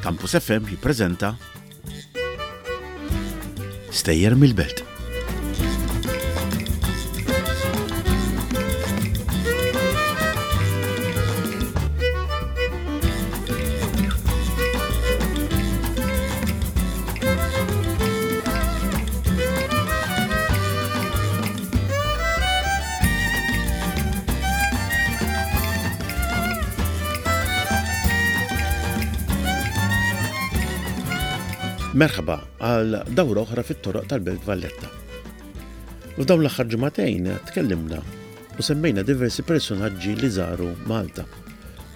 Campus FM jippreżenta Stejjer mill-Belt. Merħba għal dawra oħra fit-toroq tal-Belt Valletta. F'dawn l-aħħar ġimagħtejn tkellimna u semmejna diversi personaġġi li żaru Malta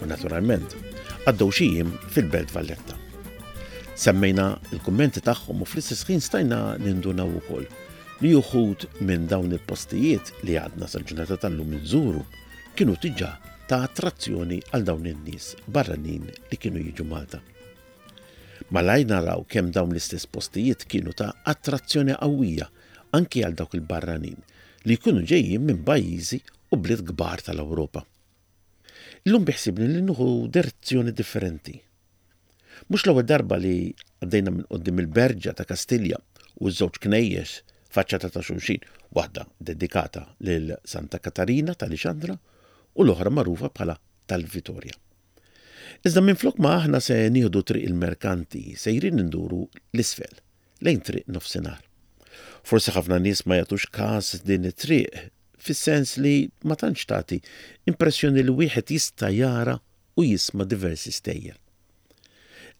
u naturalment għaddew xi jiem fil-Belt Valletta. Semmejna l-kummenti tagħhom u fl-istess ħin stajna nindunaw ukoll li uħud minn dawn il-postijiet li għadna sal-ġurnata tal-lum inżuru kienu diġà ta' attrazzjoni għal dawn in-nies barranin li kienu jiġu Malta. Malajr naraw kemm dawn l-istess postijiet kienu ta' attrazzjoni qawwija anki għal dawk il-barranin li jkunu ġejjin minn pajjiżi u bliet kbar tal-Ewropa. Illum biħsibni li nieħu direzzjoni differenti. Mhux l-ewwel darba li għaddejna minn quddiem il-Berġa ta' Kastilja u ż-żewġ knejjes faċċata ta' xulxin, waħda dedikata lil Santa Katarina ta' Lixandra u l-oħra magħrufa bħala tal-Vitorja. Iżda minflok ma aħna se nieħdu Triq il-Merkanti sejrin induru 'l isfel, lejn Triq Nofsinhar. Forsi ħafna nies ma jagħtux każ din it-triq fis-sens li ma tantx tagħti impressjoni li wieħed jista' jara u jisma' diversi stejjer.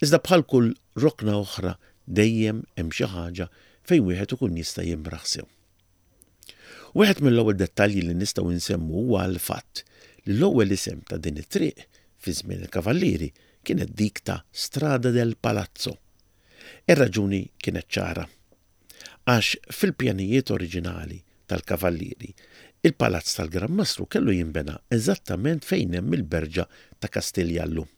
Iżda bħal kull rokna oħra dejjem hemm xi ħaġa fejn wieħed ikun jista' jimraħ sew. Wieħed mill-ewwel dettalji li nistgħu nsemmu huwa l-fatt li l-ewwel isem ta' din it-triq fi żmien il-Kavallieri kienet dik ta' Strada del Palazzo. Ir-raġuni kienet ċara. Għax fil-pjanijiet oriġinali tal-Kavallieri, il-Palazz tal-Gran Mastru kellu jinbena eżattament fejn hemm il-Berġa ta' Kastilja llum.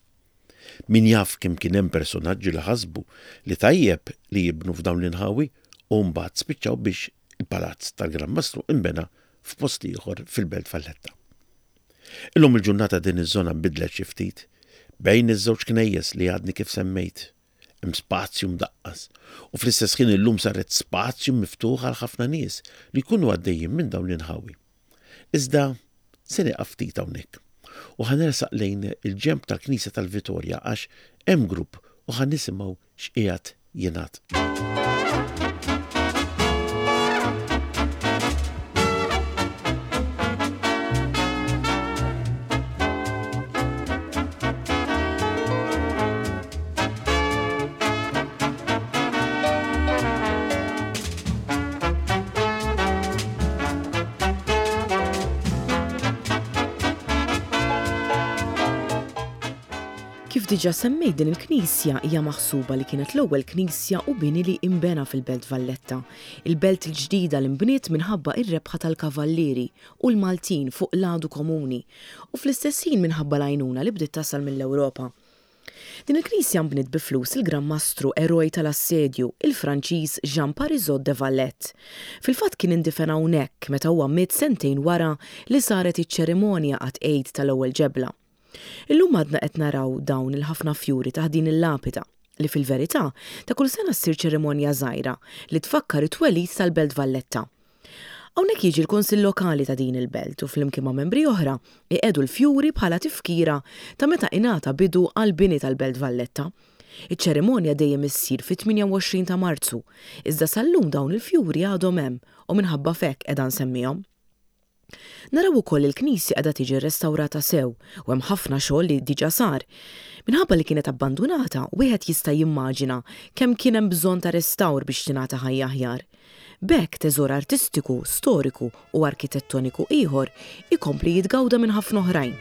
Min jaf kemm kien hemm personaġġi li ħasbu li tajjeb li jibnu f'dawn l-inħawi u mbagħad spiċċaw biex il-Palazz tal-Gran Mastru inbena f'post ieħor fil-Belt Valletta. Illum il-ġurnata din iż-żona nbidlet xi ftit. Bejn iż-żewġ knejjes li għadni kif semmejt, Hemm spazju mdaqqas u fl-istess ħin illum saret spazju miftuħ għal ħafna nies li jkunu għaddejjin minn dawn l-inħawi. Iżda se nieqaf ftit hawnhekk u ħa nersaq lejn il-ġenb tal-Knisja tal-Vitorja għax hemm grupp u ħa nisimgħu x'qiegħed jingħad. Kif diġà semmejt din il-knisja hija maħsuba li kienet l-ewwel knisja u bini li inbena fil-Belt Valletta, il-belt il-ġdida li nbniet minħabba ir-rebħa tal-Kavallieri u l-Maltin fuq l-għadu komuni u fl-istess ħin minħabba l-għajnuna li bdiet tasal mill-Ewropa. Din il-knisja nbniet bi flus il-Gran Mastru eroj tal-assedju, il-Franċiż Jean Parisot de Valette. Fil-fatt kien indifen hawnhekk meta huwa miet sentejn wara li saret iċ-ċerimonja għat-tqegħid tal-ewwel ġebla. Illum għadna qed naraw dawn il-ħafna fjuri taħt din il-lapida, li fil-verità ta' kull sena ssir ċerimonja żgħira li tfakkar it-twelid tal-Belt Valletta. Hawnhekk jiġi l-Kunsill Lokali ta' din il-belt u flimkien ma' membri oħra iqiegħdu l-fjuri bħala tifkira ta' meta ingħata bidu għall-bini tal-Belt Valletta. Iċ-ċerimonja dejjem issir fit-28 ta' Marzu, iżda sal-lum dawn il-fjuri għadhom hemm u minħabba f'hekk qiegħda nsemmihom. Naraw ukoll li l-knisja qiegħda tiġi rrestawrata sew u hemm ħafna xogħol li diġà sar. Minħabba li kienet abbandunata, wieħed jista' jimmaġina kemm kien hemm bżonn ta' restawr biex tingħata ħajja aħjar. B'hekk teżor artistiku, storiku u arkitettoniku ieħor ikompli jitgawda minn ħafna oħrajn.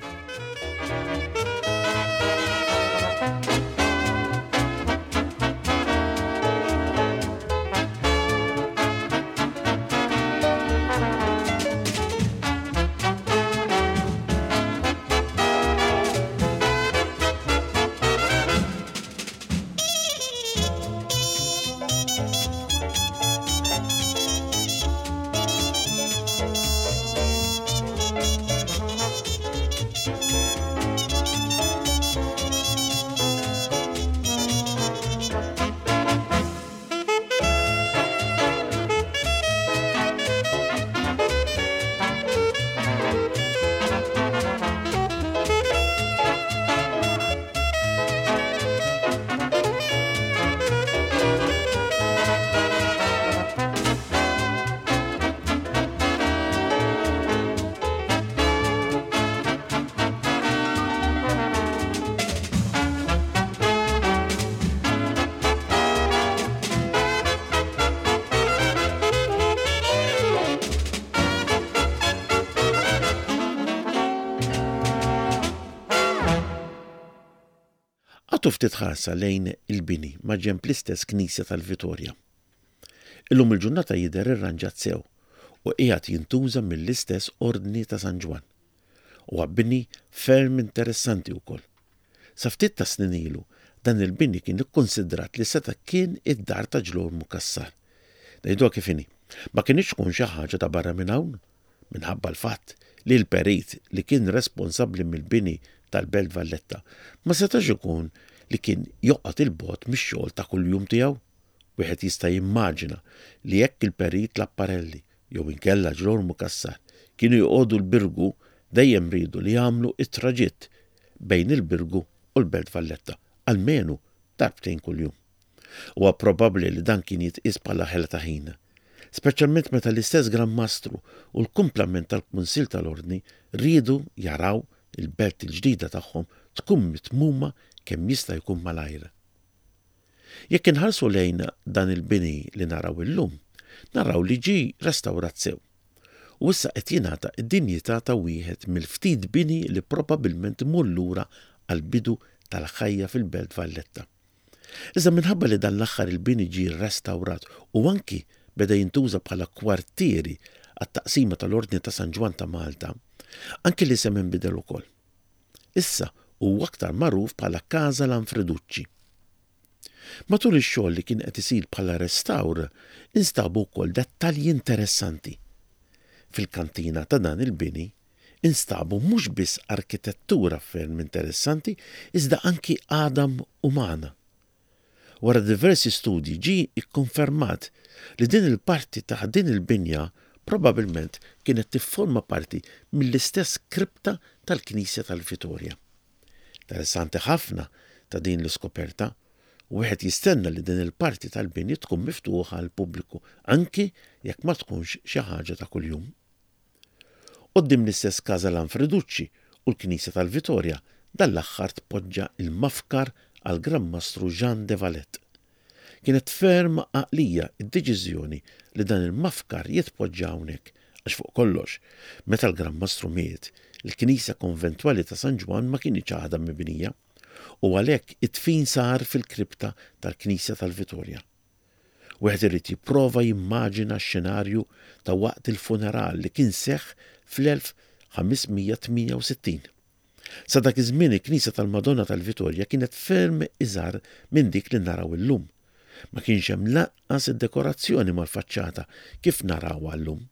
Agħtu ftit ħarsa lejn il-bini maġenb l-istess knisja tal-Vitorja. Illum il-ġurnata jidher irranġat sew u qiegħed jintuża mill-istess Ordni ta' San Ġwann. Huwa bini ferm interessanti wkoll. Sa ftit tas-snin ilu, dan il-bini kien ikkunsidrat li seta' kien id-dar ta' Ġlormu Cassar. Ngħiduha kif inhi, ma kinitx tkun xi ħaġa ta' barra minn hawn, minħabba l-fatt li l-perit li kien responsabbli mill-bini tal-Belt Valletta ma setax ikun li kien joqgħod 'il bogħod mix-xogħol ta' kuljum tiegħu. Wieħed jista' jimmaġina li jekk il-Perit Lapparelli jew inkella Ġrormu Cassar kienu joqogħdu l-Birgu dejjem riedu li jagħmlu t-traġitt bejn il-Birgu u l-Belt Valletta, almenu darbtejn kuljum. Huwa probabbli li dan kien jitqies bħala ħela ta' ħin, speċjalment meta l-istess Gran Mastru u l-kumplament tal-Kunsill tal-Ordni riedu jaraw il-belt il-ġdida tagħhom tkun mitmuma kemm jista' jkun malajr. Jekk inħarsu lejn dan il-bini li naraw illum, naraw li ġie restawrat sew u issa qed jingħata d-dinjità ta' wieħed mill-ftit bini li probabbilment imur lura għall-bidu tal-ħajja fil-Belt Valletta. Iżda minħabba li dan l-aħħar il-bini ġie rrestawrat u anki beda jintuża bħala kwartieri għat-taqsima tal-Ordni ta' San Ġwann ta' Malta, anki l-isem inbidel ukoll. Issa huwa aktar magħruf bħala Casa Lanfreducci. Matul ix-xogħol li kien qed isir bħala restawr, instabu wkoll dettalji interessanti. Fil-kantina ta' dan il-bini instabu mhux biss arkitettura ferm interessanti iżda anki għadam umana. Wara diversi studji ġie kkonfermat li din il-parti taħt din il-binja probabbilment kienet tifforma parti mill-istess kripta tal-knisja tal-Vitorja. Interessanti ħafna ta' din l-iskoperta, u wieħed jistenna li din il-parti tal-bini tkun miftuħa għall-pubbliku anki jekk ma tkunx xi ħaġa ta' kuljum. Quddiem l-istess Casa Lanfreducci u l-Knisja tal-Vitorja dan l-aħħar tpoġġa l-mafkar għall-Gran Mastru Jean de Valette. Kienet ferm għaqlija d-deċiżjoni li dan il-mafkar jitpoġġa hawnhekk għax fuq kollox, meta l-Gran Mastru miet, il-Knisja Konventwali ta' San Ġwann ma kinitx għadha mibnija u għalhekk id-dfin sar fil-kripta tal-Knisja tal-Vitorja. Wieħed irid jipprova jimmaġina x-xenarju ta' waqt il-funeral li kien seħħ fl-1568. Sa dak iż-żmien il-knisja tal-Madonna tal-Vitorja kienet ferm iżgħar minn dik li naraw illum. Ma kienx hemm lanqas id-dekorazzjoni mal-faċċata kif narawha llum.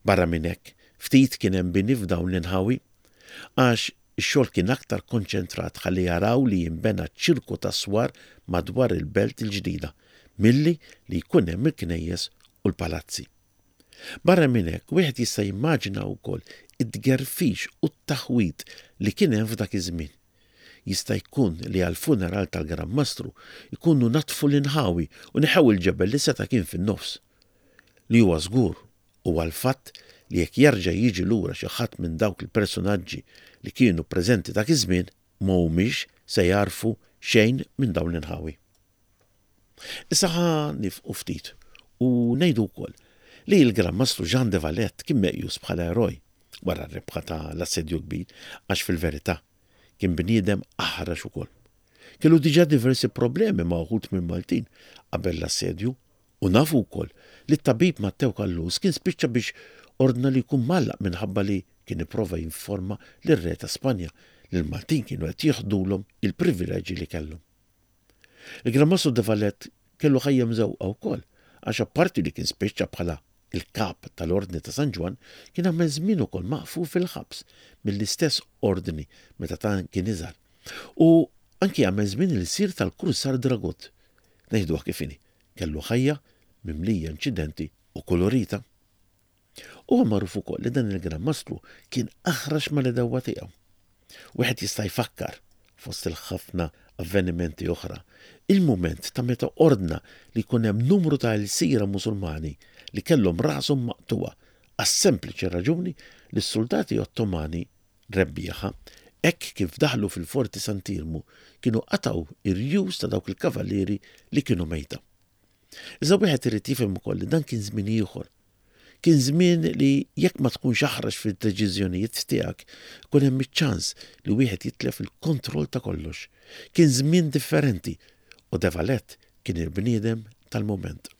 Barra minn hekk, ftit kien hemm bini f'dawn l-inħawi, għax ix-xogħol kien aktar konċentrat ħalli jaraw li jinbena ċirku ta' swar madwar il-belt il-ġdida, milli li jkun hemm il-knejjes u l-palazzi. Barra minn hekk, wieħed jista' jimmaġina wkoll it-tgerfix u t-taħwid li kien hemm f'dak iż-żmien. Jista' jkun li għall-funeral tal-Gran Mastru jkunu naddfu l-inħawi u neħew il-ġebel li seta' kien fin-nofs. Li huwa żgur huwa l-fatt li jekk jerġa' jiġi lura xi ħadd minn dawk il-persunaġġi li kienu preżenti dak iż-żmien, ma humiex se jagħrfu xejn minn dawn l-inħawi. Issa ħa nifqu ftit u ngħidu wkoll li l-Gran Mastru Jean de Valette kien meqjus bħala eroj wara r-rebħa ta' l-Assedju l-Kbir għax fil-verità kien bniedem aħrax ukoll. Kellu diġà diversi problemi ma' uħud mill-Maltin qabel l-assedju U nafu wkoll li t-tabib Mattew Callus kien spiċċa biex ordna li jkun mgħallaq minħabba li kien ipprova jinforma lir-Re ta' Spanja li l-Maltin kienu qed jieħdulhom il-privileġġi li kellhom. Il-Gran Mastru de Valette kellu ħajja mżewqa wkoll għax apparti li kien spiċċa bħala l-kap tal-Ordni ta' San Ġwann kien għamel żmien ukoll maqful fil-ħabs mill-istess Ordni meta ta' kien iżgħar. U anki għamel żmien ilsir tal-Kursar Dragut. Ngħiduha kif inhi, Kellu ħajja mimlija inċidenti u kolorita. Huwa magħruf ukoll li dan il-Gran Mastru kien aħrax mal-għedewwa tiegħu. Wieħed jista' jfakkar, fost il-ħafna avvenimenti oħra, il-mument ta' meta ordna li jkun hemm numru ta' ilsira Musulmani li kellhom rashom maqtugħa għas-sempliċi raġuni li s-suldati Ottomani rebbieħa, hekk kif daħlu fil-Forti Sant'Iermu kienu qatgħu r-rjus ta' dawk il-kavallieri li kienu mejta. Iżda wieħed irid jifhem ukoll li dan kien żmien ieħor. Kien żmien li jekk ma tkunx aħrax fid-deċiżjonijiet tiegħek, ikun hemm iċ-ċans li wieħed jitlef il-kontroll ta' kollox. Kien żmien differenti u De Valette kien il-bniedem tal-mument.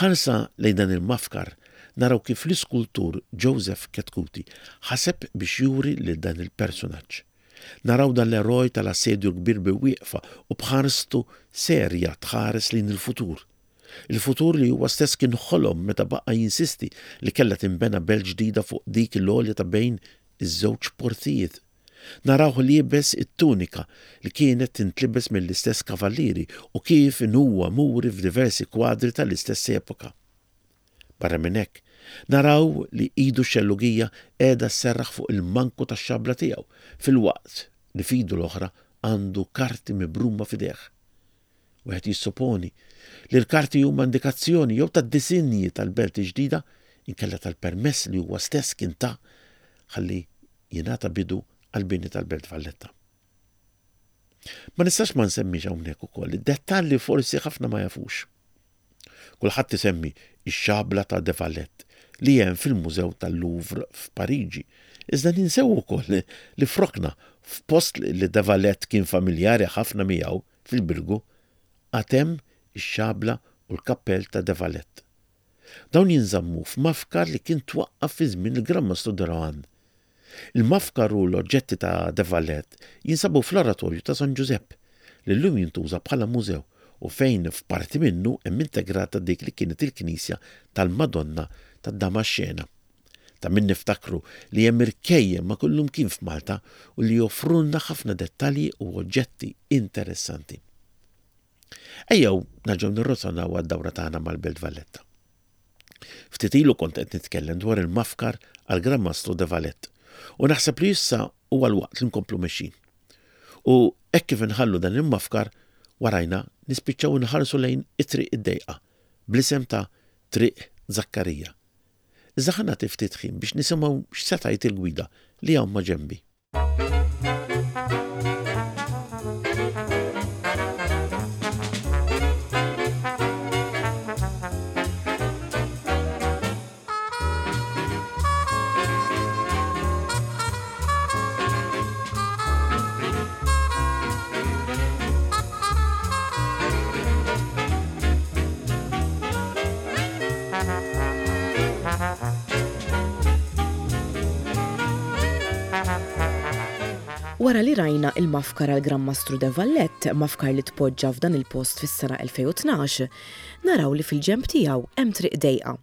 Ħarsa lejn dan il-mafkar naraw kif l-iskultur Joseph Chetcuti ħaseb biex juri lil dan il-persunaġġ. Naraw dan l-eroj tal-Assedju l-Kbir bi wieqfa u b'ħarstu serja tħares lejn il-futur. Il-futur li huwa stess kien ħolom meta baqa' jinsisti li kellha tinbena belt ġdida fuq dik l-għolja ta' bejn iż-żewġ portijiet. Narawh liebes it-tunika li kienet tintlibes mill-istess kavallieri u kif inhuwa muri f'diversi kwadri tal-istess epoka. Barra minn hekk, naraw li idu x-xellugija qiegħda sserraħ fuq il-manku tax-xabla tiegħu filwaqt li f'idu l-oħra għandu karti mibruma f'idejh. Wieħed jissoponi li l-karti huma indikazzjoni jew tad-disinji tal-belt il-ġdida inkella tal-permess li huwa stess kien ta ħalli jingħata bidu għall-bini tal-Belt Valletta. Ma nistax ma nsemmix hawnhekk ukoll id-dettall li forsi ħafna ma jafux. Kulħadd isemmi x-xabla ta' De Valette li hemm fil-Mużew tal-Louvre f'Pariġi, iżda ninsew ukoll li f'rokna f'post li De Valette kien familjari ħafna miegħu fil-Birgu għad hemm ix-xabla u l-kappell ta' De Valette. Dawn jinżammu f'mafkar li kien twaqqaf fi żmien il-Gran Mastru de Rohan. Il-mafkar u l-oġġetti ta' de Valette jinsabu fl-Oratorju ta' San Ġużepp, li llum jintuża bħala mużew u fejn f'parti minnu hemm integrata dik li kienet il-knisja tal-Madonna tad-Damaxxena. Ta' min niftakru li hemm irkejjen ma' kullumkien f'Malta u li joffrulna ħafna dettalji u oġġetti interessanti. Ejjew nerġgħu nirrotonaw għad-dawra tagħna mal-Belt Valletta. Ftit ilu kont qed nitkellem dwar il-mafkar għall-Gran Mastru de Valette u naħseb li issa huwa l-waqt li nkomplu mexjin. U hekk kif inħallu dan il-mafkar warajna nispiċċaw inħarsu lejn it-triq id-dejqa bl-isem ta' Triq Zakkarija. Iżda ħa nagħti ftit ħin biex nisimgħu x'se tgħid il-gwida li hawn ma' ġenbi. Wara li rajna il-mafkar għal Gran Mastru de Valette, mafkar li tpoġġa f'dan il-post fis-sena 2012, naraw li fil-ġenb tiegħu hemm triq dejqa.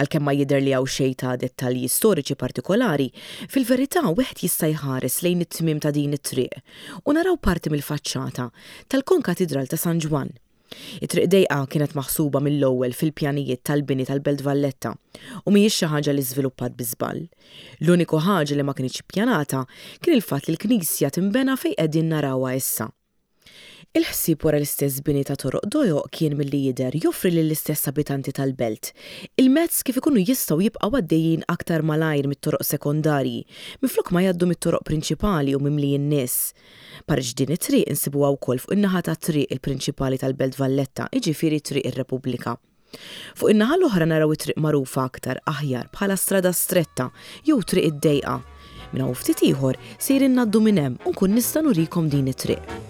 Għalkemm ma jidher li hawn xejn ta' dettalji storiċi partikolari, fil-verità wieħed jista' jħares lejn it-tmiem ta' din it-triq u naraw parti mill-faċċata tal-Konkatidral ta' San Ġwann. It-Triq Dejqa kienet maħsuba mill-ewwel fil-pjanijiet tal-bini tal-Belt Valletta u mhijiex xi ħaġa li żviluppat bi żball. L-uniku ħaġa li ma kinitx ippjanata kien il-fatt li l-knisja tinbena fejn qegħdin narawha issa. Il-ħsieb wara l-istess bini ta' toroq dojoq kien milli jidher joffri lill-istess abitanti tal-belt il-mezz kif ikunu jistgħu jibqgħu għaddejjin aktar malajr mit-toroq sekondarji minflok ma jgħaddu mit-toroq prinċipali u mimlijin nies. Parġ din it-triq insibuha wkoll fuq in-naħa tat-triq il-prinċipali tal-Belt Valletta, jiġifieri Triq ir-Repubblika. Fuq in-naħa l-oħra naraw it-triq magħrufa aktar aħjar bħala Strada Stretta jew Triq id-Dejqa. Minn hawn ftit ieħor sejrin ngħaddu minn hemm u nkun nista' nurikom din it-triq.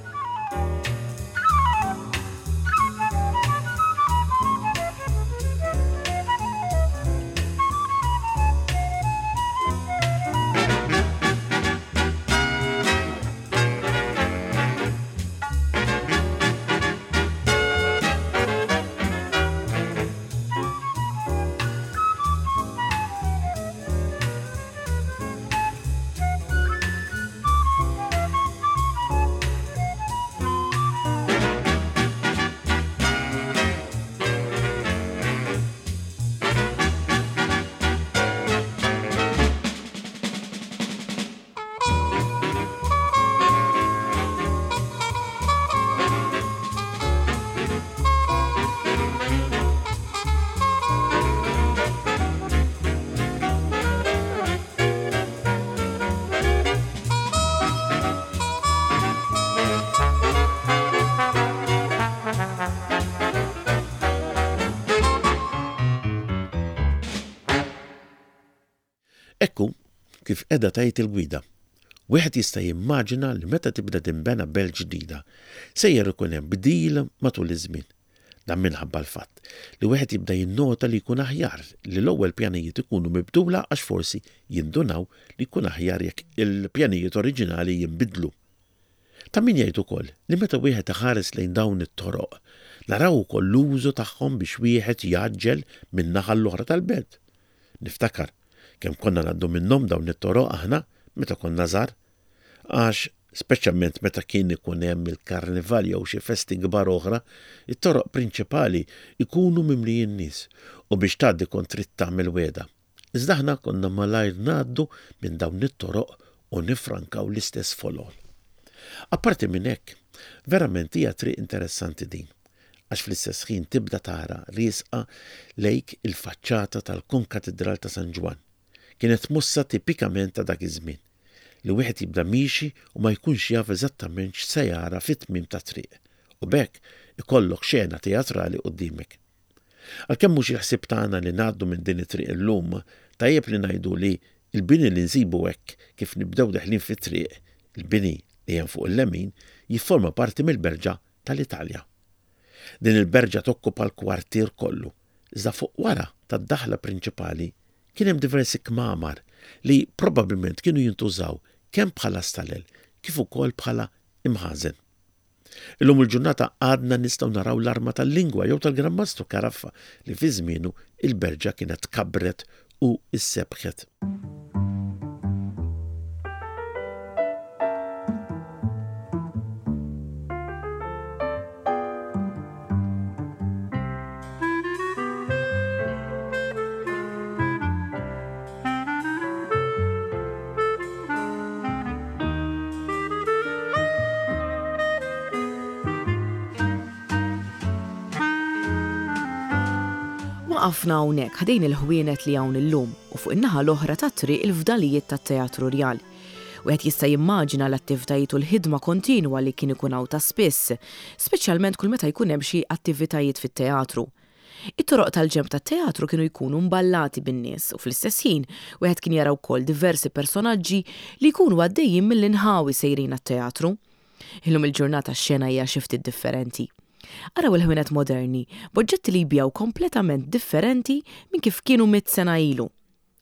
kif qiegħda tgħid il-gwida. Wieħed jista' jimmaġina li meta tibda tinbena belt ġdida, sejjer ikun hemm bdil matul iż-żmien. Dan minħabba l-fatt li wieħed jibda jinnota li jkun aħjar li l-ewwel pjanijiet ikunu mibdula għax forsi jindunaw li jkun aħjar jekk il-pjanijiet oriġinali jinbidlu. Ta' min jgħid ukoll li meta wieħed iħares lejn dawn it-toroq, naraw ukoll l-użu tagħhom biex wieħed jgħaġġel minn naħa l-oħra tal-belt. Niftakar kemm konna ngħaddu minnhom dawn it-toroq aħna meta konna żgħar. Għax, speċjalment meta kien ikun hemm il-karnival jew xi festi kbar oħra, it-toroq prinċipali jkunu mimlijin nies u biex tgħaddi kont trid tagħmel wegħda. Iżda aħna konna malajr ngħaddu minn dawn it-toroq u niffrankaw l-istess folol. Apparti minn hekk, verament hija triq interessanti din, għax fl-istess ħin tibda tara riesqa lejk il-faċċata tal-Konkatidral ta' San Ġwann. Kienet mossa tipikament ta' dak iż-żmien, li wieħed jibda miexi u ma jkunx jaf eżattament x'se jara fit-tmiem tat-triq, u b'hekk ikollok xena teatrali quddiemek. Għalkemm mhux il-ħsieb tagħna li ngħaddu minn din it-triq illum, tajjeb li ngħidu li l-bini li nsibu hekk kif nibdew deħlin fit-triq, il-bini li hemm fuq il-lemin, jifforma parti mill-Berġa tal-Italja. Din il-berġa tokkupa l-kwartier kollu, iżda fuq wara tad-daħla prinċipali kien hemm diversi kmamar li probabbilment kienu jintużaw kemm bħala stalel kif ukoll bħala imħażen. Illum il-ġurnata għadna nistgħu naraw l-arma tal-lingwa jew tal-Gran Mastru Caraffa li fi żmienu il-berġa kienet tkabbret u issebħet. Waqafna hawnhekk ħdejn il-ħwienet li hawn illum u fuq in-naħa l-oħra tat-triq il-fdalijiet tat-Teatru Rjal. Wieħed jista' jimmaġina l-attivitajiet u l-ħidma kontinwa li kien ikun hawn ta' spiss, speċjalment kull meta jkun hemm xi attivitajiet fit-teatru. It-toroq tal-ġenb tat-teatru kienu jkunu mballati bin-nies u fl-istess ħin wieħed kien jara wkoll diversi personaġġi li jkunu għaddejjin mill-inħawi sejrin għat-teatru. Illum il-ġurnata x-xena hija xi ftit differenti. Araw il-ħwienet moderni b'oġġetti li jbigħu kompletament differenti minn kif kienu mitt sena ilu.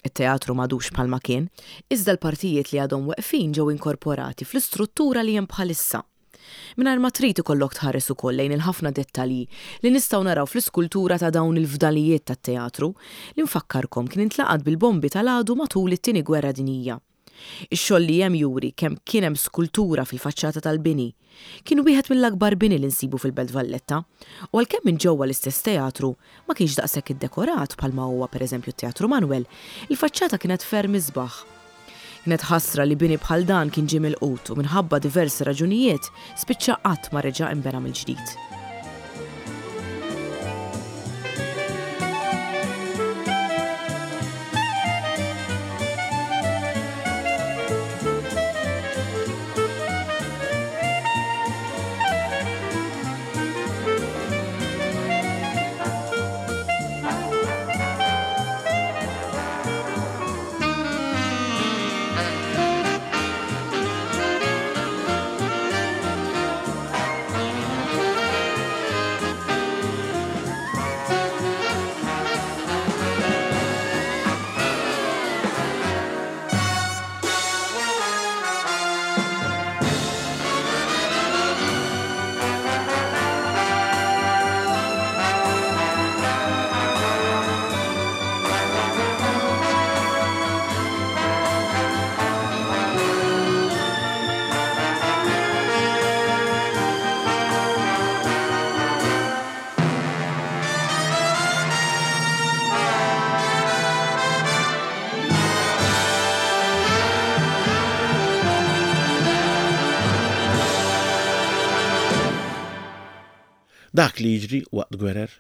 It-teatru m'għadux bħalma kien, iżda l-partijiet li għadhom weqfin ġew inkorporati fl-istruttura li hemm bħalissa. Mingħajr ma trid ikollok tħares ukoll lejn il-ħafna dettalji li nistgħu naraw fl-iskultura ta' dawn il-fdalijiet tat-teatru, li nfakkarkom kien intlaqat bil-bombi tal-għadu matul it-Tieni Gwerra Dinjija. Ix-xogħol li hemm juri kemm kien hemm skultura fil-faċċata tal-bini. Kien wieħed mill-akbar bini li nsibu fil-Belt Valletta u għalkemm minn ġewwa l-istess teatru ma kienx daqshekk iddekorat bħalma huwa pereżempju t-Teatru Manwel, il-faċċata kienet ferm isbaħ. Kienet ħasra li bini bħal dan kien ġie milqut u minħabba diversi raġunijiet spiċċa qatt ma reġa' inbena mill-ġdid. Dak li jiġri waqt gwerer,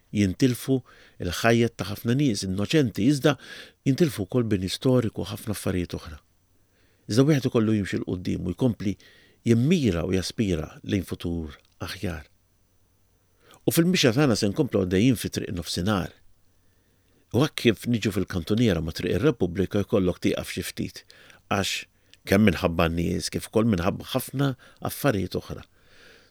jintilfu l-ħajjet ta' ħafna nies innoċenti iżda jintilfu wkoll bini storiku u ħafna affarijiet oħra. Iżda wieħed ikollu jimxi 'l quddiem u jkompli jimmira u jaspira lejn futur aħjar. U fil-mixja tagħna se nkomplu għaddejjin fi triq nofsinhar. U hekk kif niġu fil-kantuniera ma' Triq ir-Repubblika jkollok tieqaf xi ftit għax kemm minħabba n-nies kif ukoll minħabba ħafna affarijiet oħra.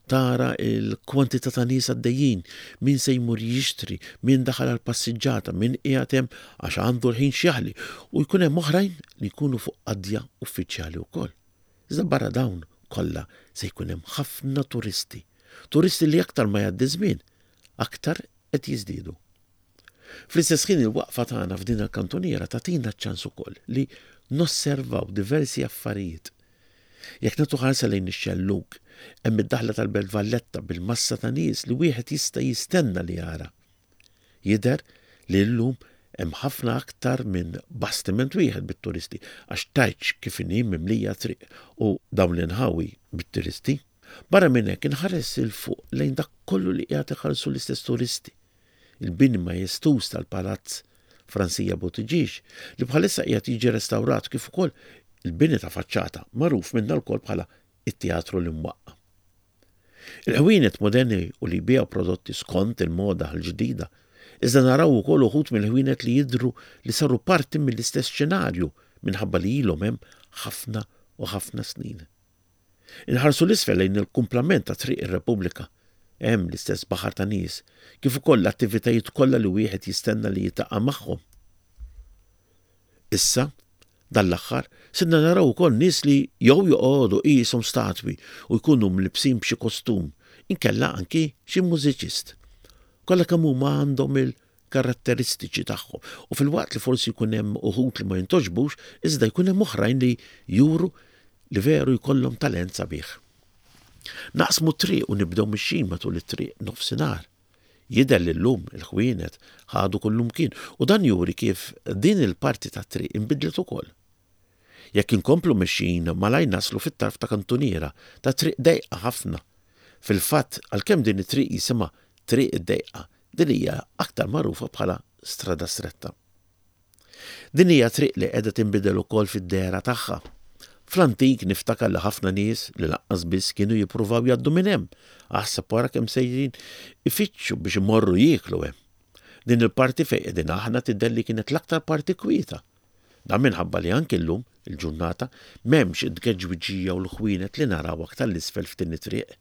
Tara l-kwantità ta' nies għaddejjin, min se jmur jixtri, min daħal għal passiġġata, min qiegħed hemm għax għandu l-ħin x'jaħli u jkun hemm oħrajn li jkunu fuq qadja uffiċjali wkoll. Iżda barra dawn kollha se jkun hemm ħafna turisti. Turisti li aktar ma jgħaddi żmien, aktar qed jiżdiedu. Fl-istess ħin il-waqfa tagħna f'din il-kantuniera tagħtina ċ-ċans ukoll li nosservaw diversi affarijiet. Jekk nagħtu ħarsa lejn ix-xellug, hemm id-daħla tal-Belt Valletta bil-massa ta' nies li wieħed jista' jistenna li jara. Jidher li llum hemm ħafna aktar minn bastiment wieħed bit-turisti għax tgħidx kif inhi mimlija t-triq u dawn l-inħawi bit-turisti. Barra minn hekk inħares 'il fuq lejn dak kollu li qiegħed iħallsu l-istess turisti. Il-bini majestuż tal-Palazz Fransija Buttigieg li bħalissa qiegħed jiġi restawrat kif ukoll il-bini ta' faċċata magħruf minna lkoll bħala it-Teatru l-Imwaqqa'. Il-ħwienet moderni u li jbigħu prodotti skont il-moda l-ġdida, iżda naraw ukoll uħud mill-ħwienet li jidhru li saru parti mill-istess xenarju minħabba li ilhom hemm ħafna u ħafna snin. Inħarsu 'l isfel lejn il-kumplament ta' Triq ir-Repubblika. Hemm l-istess baħar ta' nies, kif ukoll l-attivitajiet kollha li wieħed jistenna li jiltaqa' magħhom. Issa, dan l-aħħar, sirna naraw ukoll nies li jew joqogħdu qishom statwi u jkunu mlibbsin b'xi kostum, inkella anki xi mużiċist. Kollha kemm huma għandhom il karatteristiċi tagħhom u filwaqt li forsi jkun hemm uħud li ma jintgħoġbux, iżda jkun hemm oħrajn li juru li veru jkollhom talent sabiħ. Naqsmu t-triq u nibdew mixjin matul it-triq nofsinhar. Jidher li llum il-ħwienet ħadu kullumkien u dan juri kif din il-parti tat-triq inbidlet ukoll. Jekk inkomplu mixjin malajr naslu fit-tarf ta' kantuniera ta' triq dejqa ħafna. Fil-fatt, għalkemm din it-triq jisimha Triq id-Dejqa, din hija aktar magħrufa bħala Strada Stretta. Din hija triq li qiegħda tinbidel ukoll fid-dehra tagħha. Fl-antik niftakar li ħafna nies li lanqas biss kienu jippruvaw jgħaddu minn hemm, aħseb wara kemm sejrin ifittxu biex imorru jieklu hemm. Din il-parti fejn qegħdin aħna tidher li kienet l-aktar parti kwieta. Dan minħabba li anki llum il-ġurnata m'hemmx it-tgeġwiġija u l-ħwienet li naraw aktar 'l isfel f'din it-triq.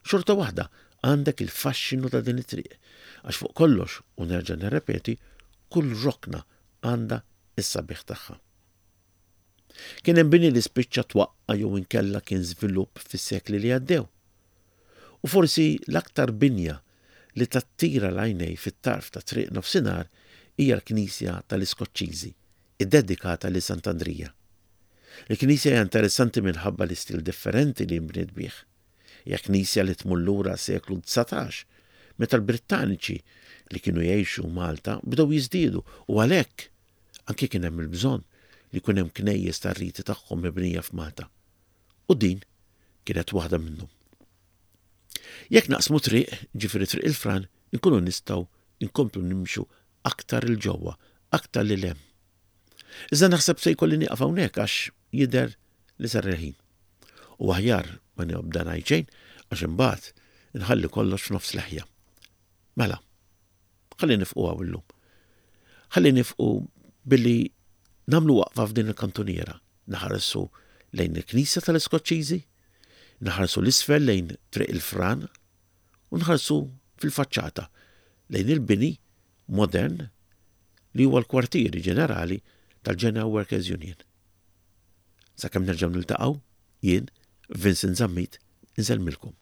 Xorta waħda għandek il-faxxinu ta' din it-triq, għax fuq kollox, u nerġa' nirrepeti, kull rokna għandha s-sabiħ tagħha. Kien hemm bini li spiċċa twaqqa' jew inkella kien żvilupp fis-sekli li għaddew. U forsi l-aktar binja li tattira l-għajnej fit-tarf ta' Triq Nofsinhar hija l-Knisja tal-Iskoċċiżi, iddedikata lil Sant'Andrija. Il-knisja hija interessanti minħabba l-istil differenti li nbniet bih. Hija knisja li tmur lura għas-seklu 19, meta l-Brittaniċi li kienu jgħixu Malta bdew jiżdiedu u għalhekk anki kien hemm il-bżonn li jkun hemm knejjes tar-riti tagħhom mibnija f'Malta. U din kienet waħda minnhom. Jekk naqsmu triq, ġifieri Triq il-Fran, inkunu nistgħu nkomplu nimxu aktar 'il ġewwa, aktar lil hemm. Iżda naħseb se jkolli nieqaf hawnhekk għax jidher li sar il-ħin. U aħjar ma nibda ngħid xejn għax imbagħad inħalli kollox f'nofs leħja. Mela, ħalli nifqu hawn illum. Ħalli nifqu billi nagħmlu waqfa f'din il-kantuniera, naħarsu lejn il-Knisja tal-Iskoċċiżi, naħarsu l-isfel lejn Triq il-Fran u nħarsu fil-faċċata lejn il-bini modern li huwa l-kwartieri ġenerali tal-General Workers Union. Sakemm nerġgħu niltaqgħu, jien, Vincent Zammit, insellmilkom.